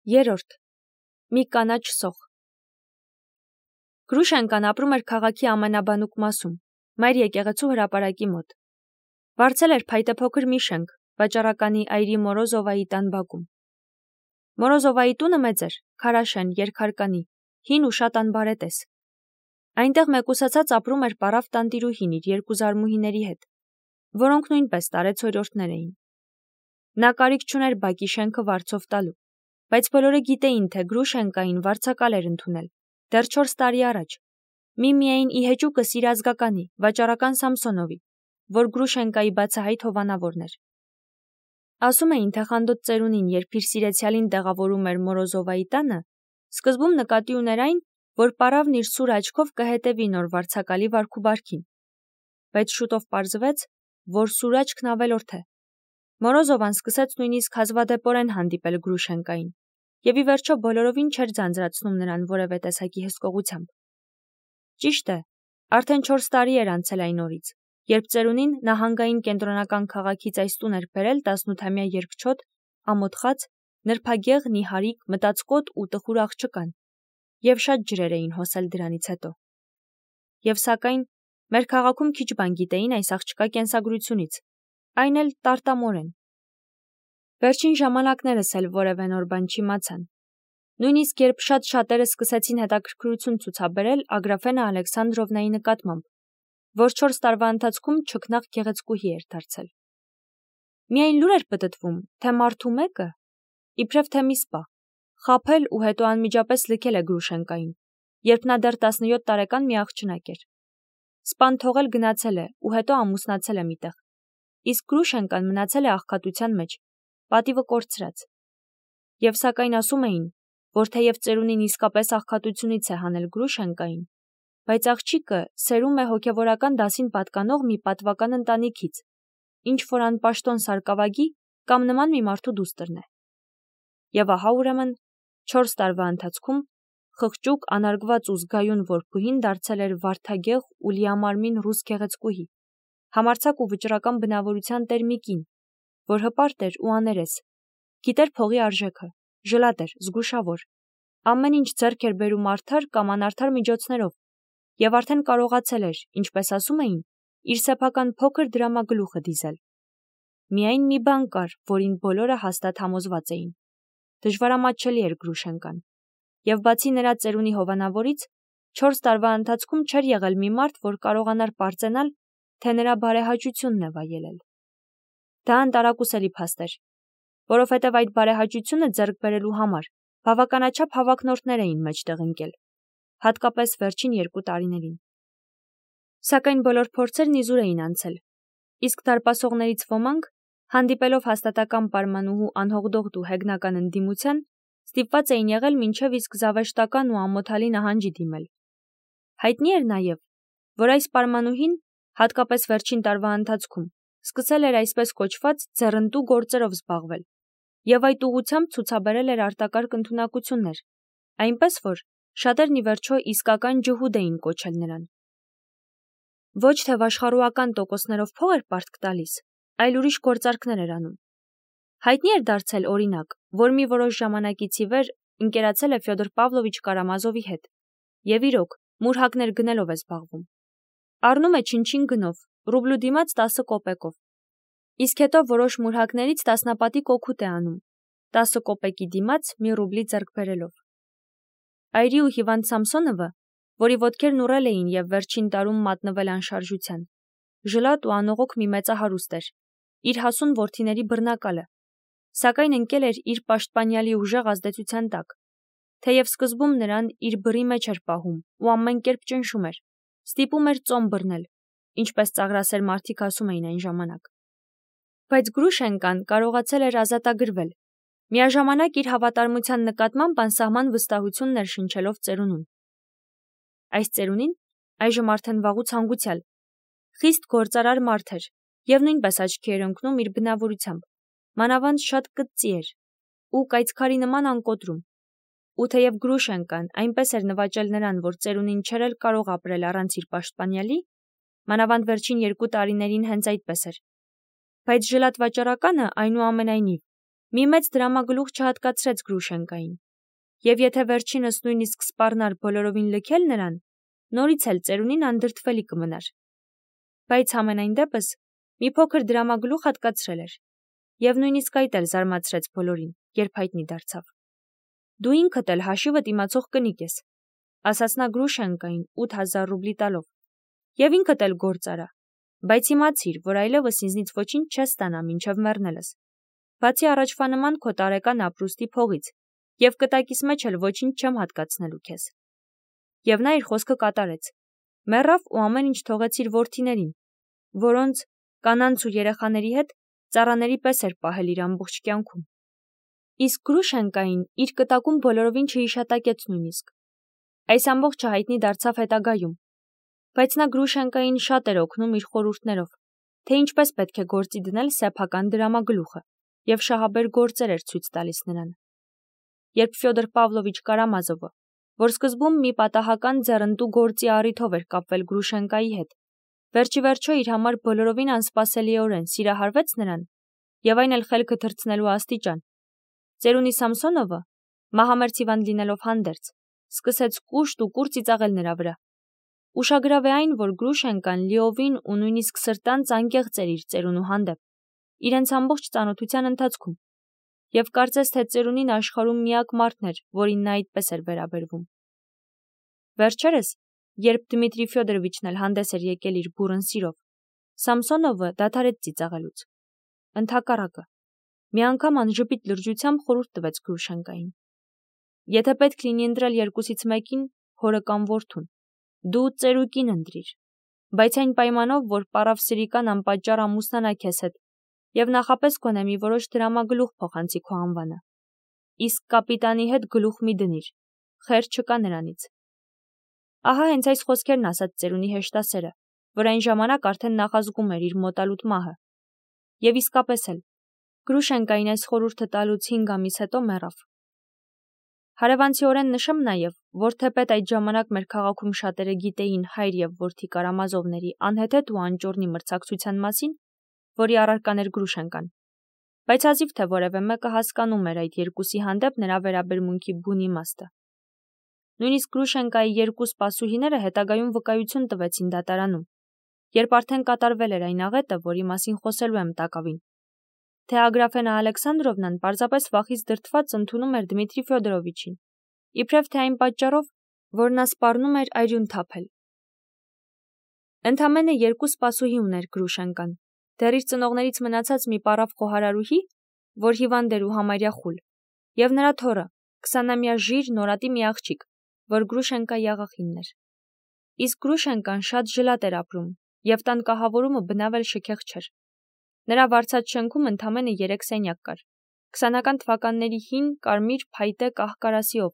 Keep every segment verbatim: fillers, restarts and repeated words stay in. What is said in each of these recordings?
Երրորդ. Մի կանաչ սոխ։ Գրուշենկան ապրում էր քաղաքի ամենաբանուկ մասում, մայր եկեղեցու հրապարակի մոտ։ Վարձել էր փայտե փոքր մի շենք, վաճառականի այրի Մորոզովայի տան բակում։ Մորոզովայի տունը մեծ էր, քարաշեն, երկհարկանի, հին ու շատ անբարետես։ Այնտեղ մեկուսացած ապրում էր պարավ տանտիրուհին իր երկու զարմուհիների հետ, որոնք նույնպես տարեցօրյորդներ էին։ Նա կարիք չուներ բակի շենքը վարձով տալու, բայց բոլորը գիտեին, թե Գրուշենկային վարձակալ էր ընդունել, դեռ չորս տարի առաջ, միմիայն ի հեճուկս իր ազգականի, վաճառական Սամսոնովի, որ Գրուշենկայի բացահայտ հովանավորն էր։ Ասում էին, թե խանդոտ ծերունին, երբ իր սիրեցյալին տեղավորում էր Մորոզովայի տանը, սկզբում նկատի ուներ այն, որ պարավն իր սուր աչքով կհետևի նոր վարձակալի վարքուբարքին, բայց շուտով պարզվեց, որ սուր աչքն ավելորդ է։ Մորոզովան սկսեց նույնիսկ հազվադեպորեն հանդիպել Գրուշենկային, եւ ի վերջո բոլորովին չէր ձանձրացնում նրան որևէ տեսակի հսկողությամբ։ Ճիշտ է, արդեն չորս տարի էր անցել այն օրից, երբ ծերունին նահանգային կենտրոնական քաղաքից այս տուն էր բերել տասնութամյա երկչոտ, ամոթխած, նրբագեղ, նիհարիկ, մտածկոտ ու տխուր աղջկան, եւ շատ ջրեր էին հոսել դրանից հետո։ Եվ սակայն մեր քաղաքում քիչ բան գիտեին այս աղջկա կենսագրությունից, այն էլ տարտամորեն։ Վերջին ժամանակներս էլ որևէ նոր բան չիմացան։ Նույնիսկ երբ շատ շատերը սկսեցին հետաքրքրություն ցուցաբերել Ագրաֆենա Ալեքսանդրովնայի նկատմամբ, որ չորս տարվա ընթացքում չքնաղ գեղեցկուհի էր դարձել։ Միայն լուր էր պտտվում, թե մարդու մեկը, իբրև թե մի սպա, խաբել ու հետո անմիջապես լքել է Գրուշենկային, երբ նա դեռ տասնյոթ տարեկան մի աղջնակ էր։ Սպան թողել գնացել է ու հետո ամուսնացել է միտեղ, իսկ Գրուշենկան մնացել է աղքատության մեջ, պատիվը կորցրած։ Եվ սակայն ասում էին, որ թեև ծերունին իսկապես աղքատությունից է հանել Գրուշենկային, բայց աղջիկը սերում է հոգևորական դասին պատկանող մի պատվական ընտանիքից, ինչ որ անպաշտոն սարկավագի կամ նման մի մարդու դուստրն է։ Եվ ահա ուրեմն չորս տարվա ընթացքում խղճուկ, անարգված ու զգայուն որբուհին դարձել էր վարդագեղ ու լիամարմին ռուս գեղեցկուհի, համարձակ ու վճռական բնավորության տեր մի կին, որ հպարտ էր ու աներես, գիտեր փողի արժեքը, ժլատ էր, զգուշավոր, ամեն ինչ ձեռք էր բերում արդար կամ անարդար միջոցներով, եւ արդեն կարողացել էր, ինչպես ասում էին, իր սեփական փոքր դրամագլուխը դիզել։ Միայն մի բան կար, որին բոլորը հաստատ համոզված էին. դժվարամատչելի էր Գրուշենկան, եւ բացի նրա ծերունի հովանավորից, չորս տարվա ընթացքում չէր եղել մի մարդ, որ կարողանար պարծենալ, թե նրա բարեհաճությունն է վայելել։ Դա անտարակուսելի փաստ էր, որովհետև այդ բարեհաճությունը ձեռք բերելու համար բավականաչափ հավակնորդներ էին մեջտեղ ընկել, հատկապես վերջին երկու տարիներին։ Սակայն բոլոր փորձերն իզուր էին անցել, իսկ դարպասողներից ոմանք, հանդիպելով հաստատական պարմանուհու անհողդողդ ու հեգնական ընդդիմության, ստիպված էին եղել մինչև իսկ զավեշտական ու ամոթալի նահանջի դիմել։ Հայտնի էր նաև, որ այս պարմանուհին, հատկապես վերջին տարվա ընթացքում, սկսել էր այսպես կոչված ձեռնտու գործերով զբաղվել, եւ այդ ուղղությամբ ցուցաբերել էր արտակարգ ընդունակություններ, այնպես որ շատերն ի վերջո իսկական ջհուդ էին կոչել նրան։ Ոչ թե վաշխառուական տոկոսներով փող էր պարտք տալիս, այլ ուրիշ գործարքներ էր անում։ Հայտնի էր դարձել, օրինակ, որ մի որոշ ժամանակից ի վեր ընկերացել է Ֆյոդոր Պավլովիչ Կարամազովի հետ, եւ իրոք մուրհակներ գնելով է զբաղվում։ Առնում է չնչին գնով, ռուբլու դիմաց տասը կոպեկով, իսկ հետո որոշ մուրհակներից տասնապատիկ օգուտ է անում, տասը կոպեկի դիմաց մի ռուբլի ձեռք բերելով։ Այրի ու հիվանդ Սամսոնովը, որի ոտքերն ուռել էին եւ վերջին տարում մատնվել անշարժության, ժլատ ու անողոք մի մեծահարուստ էր, իր հասուն որդիների բռնակալը, սակայն ընկել էր իր պաշտպանյալի ուժեղ ազդեցության տակ, թեև սկզբում նրան իր բռի մեջ էր պահում ու ամեն կերպ ճնշում էր, ստիպում էր ծոմ բռնել, ինչպես ծաղրասեր մարդիկ ասում էին այն ժամանակ։ Բայց Գրուշենկան կարողացել էր ազատագրվել, միաժամանակ իր հավատարմության նկատմամբ անսահման վստահություն ներշնչելով ծերունուն։ Այս ծերունին, այժմ արդեն վաղուց հանգուցյալ, խիստ գործարար մարդ էր եւ նույնպես աչքի էր ընկնում իր բնավորությամբ, մանավանդ շատ կծծի էր ու կայծքարի նման անկոտրում, ու թեև Գրուշենկան այնպես էր նվաճել նրան, որ ծերունին չէր էլ կարող ապրել առանց իր պաշտպանյալի, մանավանդ վերջին երկու տարիներին հենց այդպես էր, բայց ժլատ վաճառականը այնուամենայնիվ Մի մեծ դրամագլուխ չհատկացրեց Գրուշենկային, եւ եթե վերջինս նույնիսկ սպառնար բոլորովին լքել նրան, նորից էլ ծերունին անդրդվելի կմնար։ Բայց համենայն դեպս մի փոքր դրամագլուխ հատկացրել էր, եւ նույնիսկ այդ էլ զարմացրեց բոլորին, երբ հայտնի դարձավ։ Դու ինքդ էլ հաշիվդ իմացող կնիկ ես, ասաց նա Գրուշենկային ութ հազար ռուբլի տալով, եւ ինքդ էլ գործ արա, բայց իմացիր, որ այլևս ինձնից ոչինչ չես ստանա մինչև մեռնելս, բացի առաջվա նման քո տարեկան ապրուստի փողից, եւ կտակիս մեջ էլ ոչինչ չեմ հատկացնելու քեզ։ Եվ նա իր խոսքը կատարեց, մեռավ ու ամեն ինչ թողեց իր որդիներին, որոնց կանանց ու երեխաների հետ ծառաների պես էր պահել իր ամբողջ կյանքում։ Իսկ Գրուշենկային իր կտակում բոլորովին չհիշատակեց նույնիսկ։ Այս ամբողջը հայտնի դարձավ հետագայում, բայց նա Գրուշենկային շատ էր օգնում իր խորհուրդներով, թե ինչպես պետք է գործի դնել սեփական դրամագլուխը, եւ շահաբեր գործեր էր ցույց տալիս նրան։ Երբ Ֆյոդոր Պավլովիչ Կարամազովը, որ սկզբում մի պատահական ձեռնտու գործի առիթով էր կապվել Գրուշենկայի հետ, վերջի վերջո իր համար բոլորովին անսպասելիորեն սիրահարվեց նրան, եւ այն էլ խելքը թռցնելու աստիճան, ծերունի Սամսոնովը, մահամերձ հիվանդ լինելով հանդերձ, սկսեց կուշտ ու կուր ծիծաղել նրա վրա։ Ուշագրավ է այն, որ Գրուշենկան լիովին ու նույնիսկ սրտանց անկեղծ էր իր ծերունու հանդեպ, իրենց ամբողջ ծանոթության ընթացքում, եւ կարծես թե ծերունին աշխարհում միակ մարդն էր, որին նա այդպես էր վերաբերվում։ Վերջերս, երբ Դմիտրի Ֆյոդորովիչն էլ հանդես էր եկել իր բուռն սիրով, Սամսոնովը դադարեց ծիծաղելուց։ Ընդհակառակը, մի անգամ անժպիտ լրջությամբ խորհուրդ տվեց Գրուշենկային. եթե պետք լինի ընտրել երկուսից մեկին, հորը կամ որդուն, դու ծերուկին ընտրիր, բայց այն պայմանով, որ պարավ սրիկան անպատճառ ամուսնանա քեզ հետ եւ նախապես գոնե մի որոշ դրամագլուխ փոխանցի քո անվանը։ Իսկ կապիտանի հետ գլուխ մի դնիր, խեր չկա նրանից։ Ահա հենց այս խոսքերն ասաց ծերունի հեշտասերը, որ այն ժամանակ արդեն նախազգում էր իր մոտալուտ մահը։ Եվ իսկապես էլ, Գրուշենկային այս խորհուրդը տալուց հինգ ամիս հետո մեռավ։ Հարևանցիորեն նշեմ նաև, որ թեպետ այդ ժամանակ մեր քաղաքում շատերը գիտեին հայր եւ որդի Կարամազովների անհեթեթ ու անճոռնի մրցակցության մասին, որի առարկան էր Գրուշենկան, բայց հազիվ թե որևէ մեկը հասկանում էր այդ երկուսի հանդեպ նրա վերաբերմունքի բուն իմաստը։ Նույնիսկ Գրուշենկայի երկու սպասուհիները հետագայում վկայություն տվեցին դատարանում, երբ արդեն կատարվել էր այն աղետը, որի մասին խոսելու եմ տակավին, թե Ագրաֆենա Ալեքսանդրովնան պարզապես վախից դրդված ընդունում էր Դմիտրի Ֆյոդորովիչին, իբրև թե այն պատճառով, որ նա սպառնում էր այրուն թափել։ Ընդամենը երկու սպասուհի ուներ Գրուշենկան, դեռ իր ծնողներից մնացած մի պարավ խոհարարուհի, որ հիվանդ էր ու համարյա խուլ, եւ նրա թոռը, քսանամյա ժիր նորատի մի աղջիկ, որ Գրուշենկայի աղախինն էր։ Իսկ Գրուշենկան շատ ժլատ էր ապրում, եւ տան կահավորումը բնավ էլ շքեղ չէր։ Նրա վարձած շենքում ընդամենը երեք սենյակ կար, քսանական թվականների հին, կարմիր, փայտե կահ-կարասիով,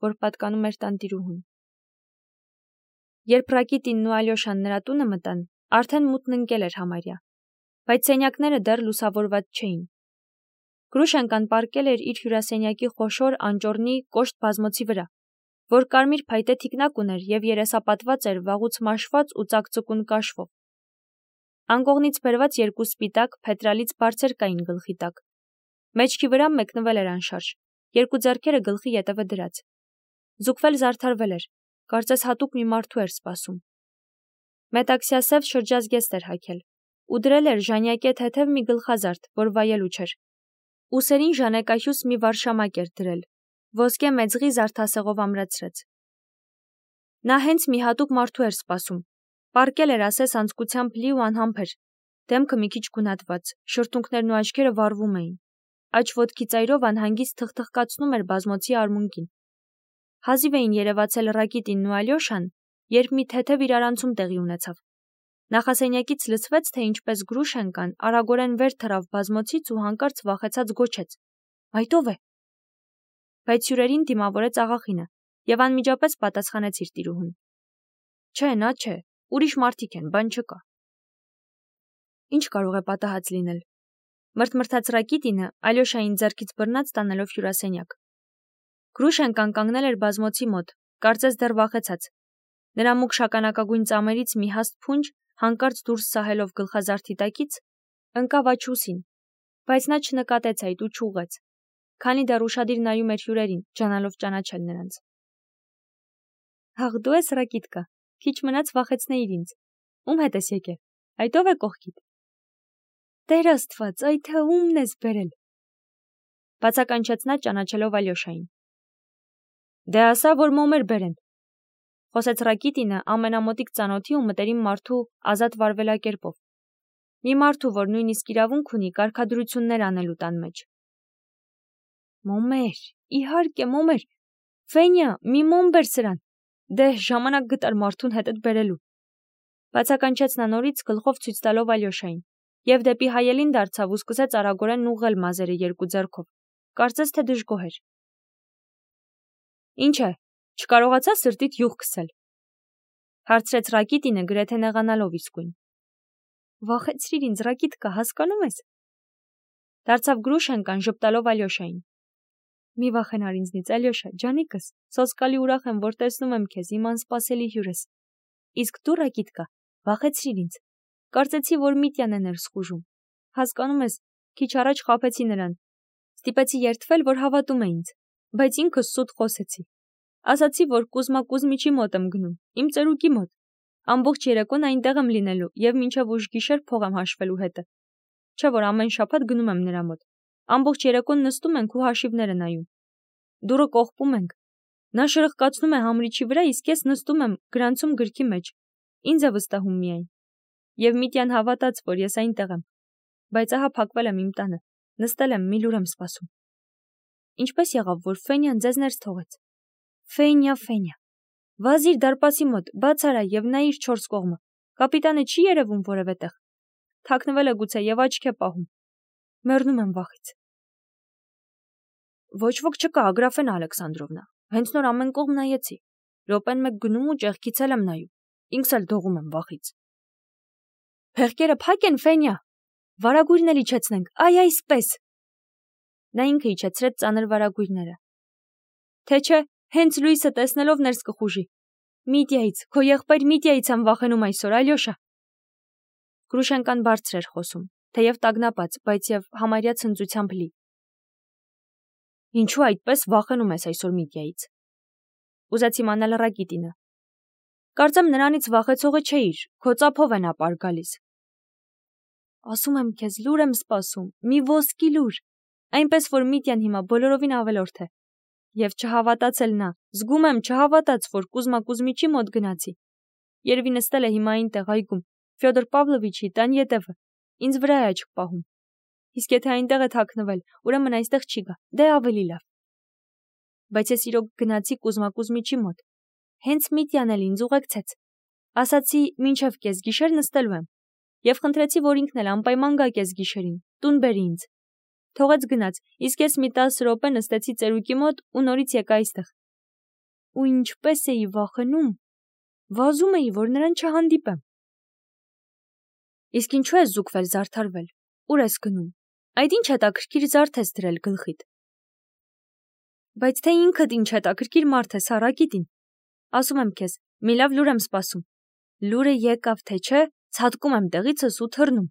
որ պատկանում էր տանտիրուհուն։ Երբ Ռակիտինն ու Ալյոշան նրա տունը մտան, արդեն մութն ընկել էր համարյա, բայց սենյակները դեռ լուսավորված չէին։ Գրուշենկան պառկել էր իր հյուրասենյակի խոշոր անճոռնի կոշտ բազմոցի վրա, որ կարմիր փայտե թիկնակ ուներ եւ երեսապատված էր վաղուց մաշված ու ծակծկուն կաշվով։ Անկողնից բերված երկու սպիտակ փետրալից բարձր կային գլխի տակ։ Մեջքի վրա մեկնվել էր անշարժ, երկու ձեռքերը գլխի ետևը դրած։ Զուգվել զարդարվել էր, կարծես հատուկ մի մարդու էր սպասում։ Մետաքսյասև շրջազգեստ էր հագել ու դրել էր ժանյակե թեթև մի գլխազարդ, որ վայելու չէր։ Ուսերին ժանեկահյուս մի վարշամակ էր դրել, ոսկե մեծղի զարդասեղով ամրացրեց։ Նա հենց մի հատուկ մարդու էր սպասում։ Պառկել էր ասես անձկությամբ լի ու անհամբեր, դեմքը մի քիչ գունատված, շրթունքներն ու աչքերը վառվում էին, աջ ոտքի ծայրով անհանգիստ թխթխկացնում էր բազմոցի արմունկին։ Հազիվ էին երևացել Ռակիտինն ու Ալյոշան, երբ մի թեթև իրարանցում տեղի ունեցավ։ Նախասենյակից լսվեց, թե ինչպես Գրուշենկան արագորեն վեր թռավ բազմոցից ու հանկարծ վախեցած գոչեց. «Այդ ո՞վ է»։ Բայց հյուրերին դիմավորեց աղախինը եւ անմիջապես պատասխանեց իր տիրուհուն. «Չէ, նա չէ, ուրիշ մարդիկ են, բան չկա»։ Ինչ կարող է պատահած լինել։ Մրթմրթաց Ռակիտինը Ալյոշային ձեռքից բռնած տանելով հյուրասենյակ։ Գրուշենկան կանգնել էր բազմոցի մոտ, կարծես դեռ վախեցած։ Նրա մուգ շագանակագույն ծամերից մի հաստ փունջ, հանկարծ դուրս սահելով գլխազարդի տակից, ընկավ աջ ուսին, Բայց նա չնկատեց այդ ու չուղեց, քանի դեռ ուշադիր նայում էր հյուրերին, ջանալով ճանաչել նրանց։ Ահ, դու ես Ռակիտկա, քիչ մնաց վախեցնեիր ինձ։ Ում հետ ես եկել։ Այդ ով է կողքիդ։ Տեր Աստված, այ թե ումն ես բերել։ Բացականչեց նա ճանաչելով Ալյոշային։ Դե ասա, որ մոմեր բերեն։ Խոսեց Ռակիտինը ամենամոտիկ ծանոթի ու մտերիմ մարդու ազատ վարվելակերպով։ Մի մարդու, որ նույնիսկ իրավունք ունի կարգադրություններ անելու տան մեջ։ Մոմեր, իհարկե մոմեր։ Ֆենյա, մի մոմ բեր սրան։ Դե ժամանակ գտար մարդուն հետդ բերելու։ Բացականչեց նա նորից գլխով ցույց տալով Ալյոշային, եւ դեպի հայելին դարձավ ու սկսեց արագորեն ուղղել մազերը երկու ձեռքով։ Կարծես թե դժգոհ էր։ Ինչ է, չկարողացա սրտիդ յուղ քսել։ Հարցրեց Ռակիտինը գրեթե նեղանալով իսկույն։ Վախեցրիր ինձ, Ռակիտկա, հասկանում ես։ Դարձավ Գրուշենկան ժպտալով Ալյոշային։ Մի վախենար ինձնից, Ալյոշա, ջանիկս, սոսկալի ուրախ եմ, որ տեսնում եմ քեզ, իմ անսպասելի հյուրս։ Իսկ դու, Ռակիտկա, վախեցրիր ինձ։ Կարծեցի, որ Միտյան է ներս խուժում։ Հասկանում ես, քիչ առաջ խաբեցի նրան։ Ստիպեցի երդվել, որ հավատում է ինձ, բայց ինքս սուտ խոսեցի։ Ասացի, որ Կուզմա Կուզմիչի մոտ եմ գնում, իմ ծերուկի մոտ։ Ամբողջ երեկոն այնտեղ եմ լինելու եւ մինչեւ ուշ գիշեր փող եմ հաշվելու հետը։ Չէ՞ որ ամեն շաբաթ գնում եմ նրա մոտ։ Ամբողջ երեկոն նստում ենք ու հաշիվները նայում։ Դուրը կողպում ենք։ Նա շրխկացնում է համրիչի վրա, իսկ ես նստում եմ գրանցում գրքի մեջ։ Ինձ է վստահում միայն։ Եվ Միտյան հավատաց, որ ես այնտեղ եմ։ Բայց ահա փակվել եմ իմ տանը։ Նստել եմ, մի լուր եմ սպասում։ Ինչպես եղավ, որ Ֆենյան ձեզ ներս թողեց։ Ֆենյա, Ֆենյա։ Վազիր դարպասի մոտ, բաց արա եւ նայիր չորս կողմը։ Կապիտանը չի երևում որևէ տեղ։ Թաքնվել է գուցե եւ աչք է պահում։ Մեռնում եմ վախից։ Ոչ ոք չկա, Ագրաֆենա Ալեքսանդրովնա։ Հենց նոր ամեն կողմ նայեցի։ Րոպեն մեկ գնում ու ճեղքից էլ եմ նայում։ Ինքս էլ դողում եմ վախից։ Փեղկերը փակ են, Ֆենյա։ Վարագույրն էլ իջեցնենք, այ այսպես։ Նա ինքը իջեցրեց ծանր վարագույրները։ Թե չէ, հենց լույսը տեսնելով ներս կխուժի։ Միտյայից, քո եղբայր Միտյայից եմ վախենում այսօր, Ալյոշա։ Գրուշենկան բարձր էր խոսում, թեև տագնապած, բայց եւ համարյա ցնծությամբ լի։ Ինչու այդպես վախենում ես այսօր Միտյայից։ Ուզեց իմանալ Ռակիտինը։ Կարծեմ նրանից վախեցողը չէիր, քո ծափով է նա պար գալիս։ Ասում եմ քեզ, լուր եմ սպասում, մի ոսկի լուր, այնպես որ Միտյան հիմա բոլորովին ավելորդ է։ Եվ չհավատացել նա, զգում եմ չհավատաց, որ Կուզմա Կուզմիչի մոտ գնացի։ Երևի նստել է հիմա այնտեղ այգում, Ֆյոդոր Պավլովիչի տան ետևը, ինձ վրա է աչք պահում։ Իսկ եթե այնտեղ է թաքնվել, ուրեմն այստեղ չի գա, դե ավելի լավ։ Բայց ես իրոք գնացի Կուզմա Կուզմիչի մոտ։ Հենց Միտյան էլ ինձ ուղեկցեց։ Ասացի, մինչև կեսգիշեր նստելու եմ։ Եվ խնդրեցի, որ ինքն էլ անպայման գա կեսգիշերին, տուն բերի ինձ։ Թողեց գնաց, իսկ ես մի տասը րոպե նստեցի ծերուկի մոտ ու նորից եկա այստեղ։ Ու ինչպես էի վախենում, վազում էի, որ նրան չհանդիպեմ։ Իսկ ինչու ես զուգվել, զարդարվել, ուր ես գնում։ Այդ ինչ հետաքրքիր զարդ ես դրել գլխիդ։ Բայց թե ինքդ ինչ հետաքրքիր մարդ ես, Ռակիտին։ Ասում եմ քեզ, մի լավ լուր եմ սպասում։ Լուրը եկավ, թե չէ, ցատկում եմ տեղիցս ու թռնում։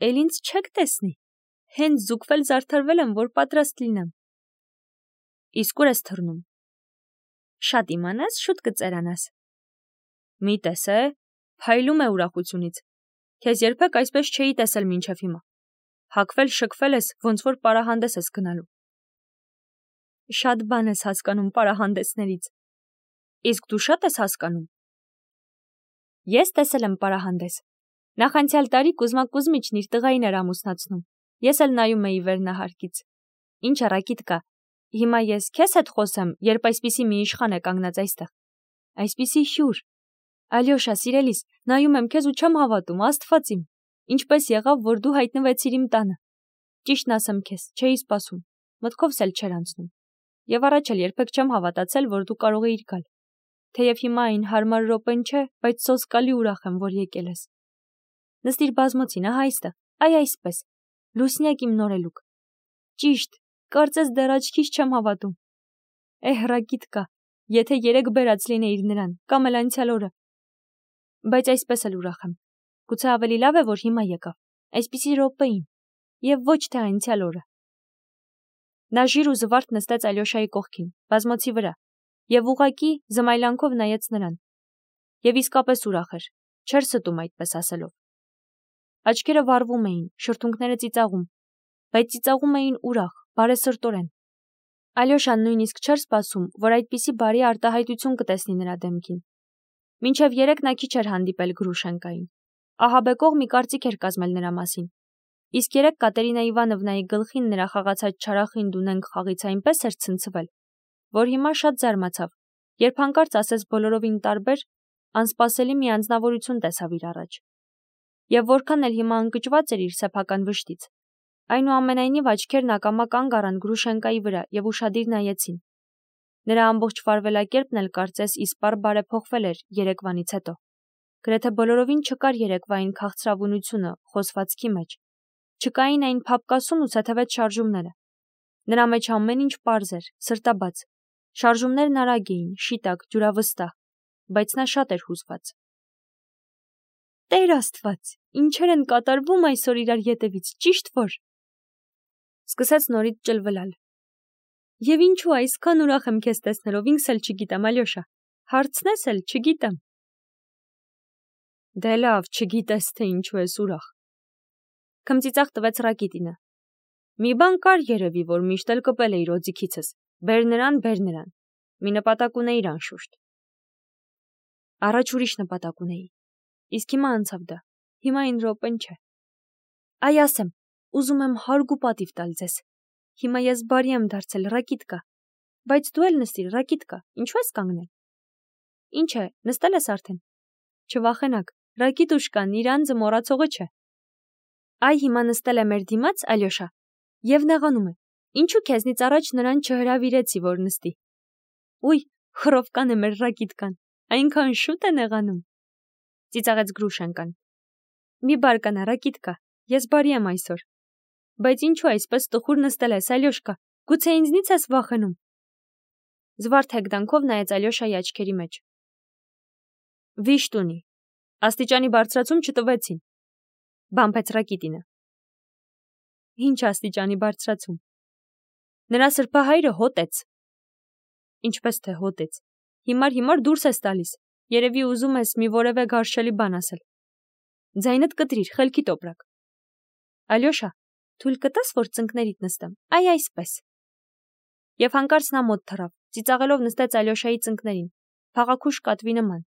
Էլ ինձ չեք տեսնի։ Հենց զուգվել զարդարվել եմ, որ պատրաստ լինեմ։ Իսկ ուր ես թռնում։ Շատ իմանաս, շուտ կծերանաս։ Մի տեսե, փայլում է ուրախությունից։ Քեզ երբեք այսպես չէի տեսել մինչև հիմա։ Հակվել շքվել ես, ոնց որ պարահանդես ես գնալու։ Շատ բան ես հասկանում պարահանդեսներից։ Իսկ դու շատ ես հասկանում։ Ես տեսել եմ պարահանդես։ Նախանցյալ տարի Կուզմա Կուզմիչն իր տղային էր ամուսնացնում։ Ես էլ նայում էի վերնահարկից։ Ինչ է, Ռակիտկա, հիմա ես քեզ հետ խոսեմ, երբ այսպիսի մի իշխան է կանգնած այստեղ։ Այսպիսի հյուր։ Ալյոշա, սիրելիս, նայում եմ քեզ ու չեմ հավատում, Աստված իմ։ Ինչպես եղավ, որ դու հայտնվեցիր իմ տանը։ Ճիշտն ասեմ քեզ, չէի սպասում, մտքովս էլ չէր անցնում։ Եվ առաջ էլ երբեք չեմ հավատացել, որ դու կարող էիր գալ։ Թեև հիմա այն հարմար րոպեն չէ, բայց սոսկալի ուրախ եմ, որ եկել ես։ Նստիր բազմոցին, ահա այստեղ, այ այսպես։ Լուսնյակ իմ նորելուկ։ Ճիշտ, կարծես դեռ աչքիս չեմ հավատում։ Էհ, Ռակիտկա, եթե երեք բերած լինեիր նրան, կամ էլ անցյալ օրը։ Բայց այսպես էլ ուրախ եմ։ Գուցե ավելի լավ է, որ հիմա եկավ, այսպիսի րոպեին։ եւ ոչ թե այնցյալ օրը։ Նա ժիր ու զվարթ նստեց Ալյոշայի կողքին, բազմոցի վրա, եւ ուղակի զմայլանքով նայեց նրան։ Եվ իսկապես ուրախ էր, չէր ստում այդպես ասելով։ Աչքերը վառվում էին, շրթունքները ծիծաղում, բայց ծիծաղում էին ուրախ, բարեսրտորեն։ Ալյոշան նույնիսկ չէր սպասում, որ այդպիսի բարի արտահայտություն կտեսնի նրա դեմքին։ Մինչև երեկ նա քիչ էր հանդիպել Գրուշենկային։ Ահաբեկող մի կարծիք էր կազմել նրա մասին։ Իսկ երեկ Կատերինա Իվանովնայի գլխին նրա խաղացած չարախին դունենք խաղից այնպես էր ցնցվել, որ հիմա շատ զարմացավ, երբ հանկարծ ասես բոլորովին տարբեր, անսպասելի մի անձնավորություն տեսավ իր առաջ։ Եվ որքան էլ հիմա ընկճված էր իր սեփական վշտից, այնուամենայնիվ աչքերն ակամա կանգ առան Գրուշենկայի վրա եւ ուշադիր նայեցին։ Նրա ամբողջ վարվելակերպն էլ կարծես իսպառ բարեփոխվել էր երեկվանից հետո։ Գրեթե բոլորովին չկար երեկվային քաղցրավունությունը խոսվածքի մեջ։ Չկային այն փափկասուն ու ցեթևետ շարժումները։ Նրա մեջ ամեն ինչ պարզ էր, սրտաբաց։ Շարժումներն արագ էին, շիտակ, ջուրավստահ, բայց նա շատ էր հուզված։ Տեր Աստված, ինչեր են կատարվում այսօր իրար ետևից, ճիշտ որ։ Սկսեց նորից ճլվլալ։ Եվ ինչու այսքան ուրախ եմ քեզ տեսնելով, ինքս էլ չգիտեմ, Ալյոշա, հարցնես էլ չգիտեմ։ Դե լավ, չգիտես թե ինչու ես ուրախ։ Քմծիծաղ տվեց Ռակիտինը։ Մի բան կար երևի, որ միշտ էլ կպել էիր օձիքիցս, բեր նրան, բեր նրան, մի նպատակ ունեիր անշուշտ։ Առաջ ուրիշ նպատակ ունեի, իսկ հիմա անցավ դա, հիմա այն րոպեն չէ։ Այ ասեմ, ուզում եմ հարկ ու պատիվ տալ ձեզ։ Հիմա ես բարի եմ դարձել, Ռակիտկա, բայց դու էլ նստիր, Ռակիտկա, ինչու ես կանգնել։ Ինչ է, նստել ես արդեն։ Չվախենաք, Ռակիտուշկան իր անձը մոռացողը չէ։ Այ հիմա նստել է մեր դիմաց, Ալյոշա, եւ նեղանում է։ Ինչու քեզնից առաջ նրան չհրավիրեցի, որ նստի։ Ուй, խռովկան է մեր Ռակիտկան, այնքան շուտ է նեղանում։ Ծիծաղեց Գրուշենկան։ Մի բարկանա, Ռակիտկա, ես բարի եմ այսօր։ Բայց ինչու այսպես տխուր նստել ես, Ալյոշկա, գուցե ինձնից ես վախենում։ Զվարթ հեգդանքով նայեց Ալյոշայի աչքերի մեջ։ Վիշտ ունի։ Աստիճանի բարձրացում չտվեցին։ Բամփեց Ռակիտինը։ Ինչ աստիճանի բարձրացում։ Նրա սրբահայրը հոտեց։ Ինչպես թե հոտեց։ Հիմար-հիմար դուրս ես տալիս։ Երևի ուզում ես մի որևէ գարշելի բան ասել։ Ձայնդ կտրիր, խելքի տոպրակ։ Ալյոշա, թույլ կտաս, որ ծնկներիդ նստեմ։ Այ այսպես։ Եվ հանկարծ նա մոտ թռավ, ծիծաղելով նստեց Ալյոշայի ծնկներին, փաղաքուշ կատվի նման։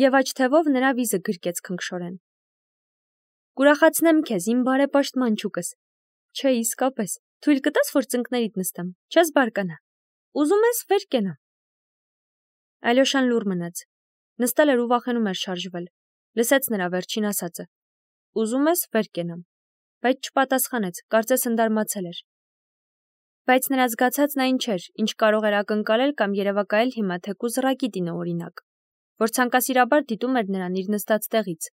Եվ աջ թևով նրա վիզը գրկեց քնքշորեն։ Կուրախացնեմ քեզ, իմ բարեպաշտ մանչուկս։ Չէ, իսկապես, թույլ կտաս, որ ծնկներիդ նստեմ, չես բարկանա։ Ուզում ես վեր կենամ։ Ալյոշան լուռ մնաց։ Նստել էր ու վախենում էր շարժվել։ Լսեց նրա վերջին ասածը։ Ուզում ես վեր կենամ։ Բայց չպատասխանեց, կարծես ընդարմացել էր։ Բայց նրա զգացածն այն չէր, ինչ կարող էր ակնկալել կամ երևակայել հիմա թեկուզ Ռակիտինը օրինակ, որ ցանկասիրաբար դիտում էր նրան իր նստած տեղից,